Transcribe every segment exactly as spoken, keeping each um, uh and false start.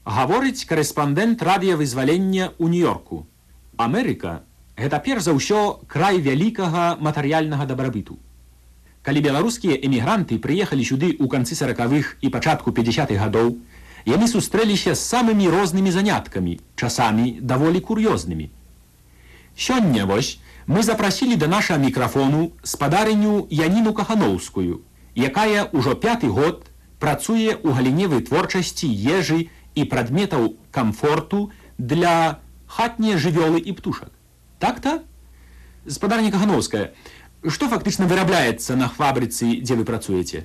Гаворыць корэспандэнт радыёвызвалення ў Нью-Йорку. Амерыка – гэта перш за ўсё край вялікага матэрыяльнага дабрабыту. Калі беларускія эмігранты прыехалі сюды ў канцы саракавых і пачатку пятьдесятых гадоў, яны сустрэліся з самымі рознымі заняткамі, часамі даволі кур'ёзнымі. Сёння вось мы запрасілі да нашага мікрафону спадарыню Яніну Кахановскую, якая ўжо пяты год працуе ў галіне вытворчасці ежы і прадметаў камфорту для хатнія жывёлы і птушак. Так-то? Спадарня Кахановская, што фактычна вырабляецца на фабрыцы, дзе вы працуеце?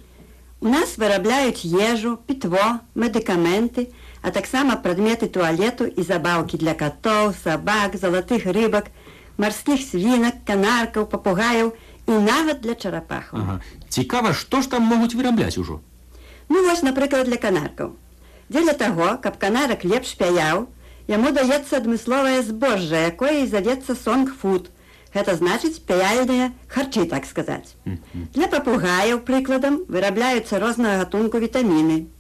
У нас вырабляюць ежу, пітво, медыкаменты, а таксама прадметы туалету і забаўкі для катоў, сабак, залатых рыбак, марскіх свінак, канаркаў, папугаяў і нават для чарапахаў. Ага. Цікава, што ж там могуць вырабляць ужо? Ну вось, напрыклад, для канаркаў. Дзеля таго, каб канарак лепш пяяў, яму даецца адмысловае збожжа, якое і завецца сонг-фуд. Гэта значыць пяяльныя харчы, так сказаць. Mm-hmm. Для папугаяў, прыкладам, вырабляюцца рознага гатунку вітаміны.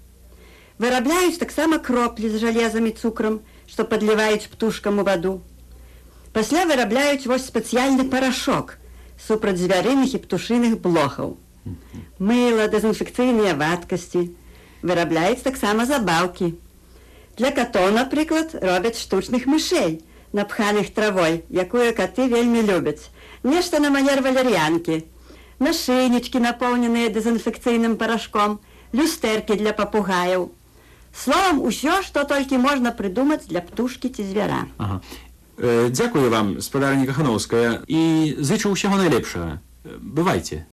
Вырабляюць таксама кроплі з жалезам і цукрам, што падліваюць птушкам у ваду. Пасля вырабляюць вось спецыяльны парашок супраць звярыных і птушыных блохаў. Mm-hmm. Мыла, дэзінфекцыйныя вадкасці. Вырабляюць таксама забаўкі. Для катоў, напрыклад, робяць штучных мышэй, напханых травой, якую каты вельмі любяць. Нешта на манер валер'янкі. Нашыйнічкі, напоўненыя дэзінфекцыйным парашком, люстэркі для папугаяў. Словам, усё, што толькі можна прыдумаць для птушкі ці звяра. Ага. Э, дзякую вам, спадарня Кахановская, і зычу ўсяго найлепшага. Бывайце.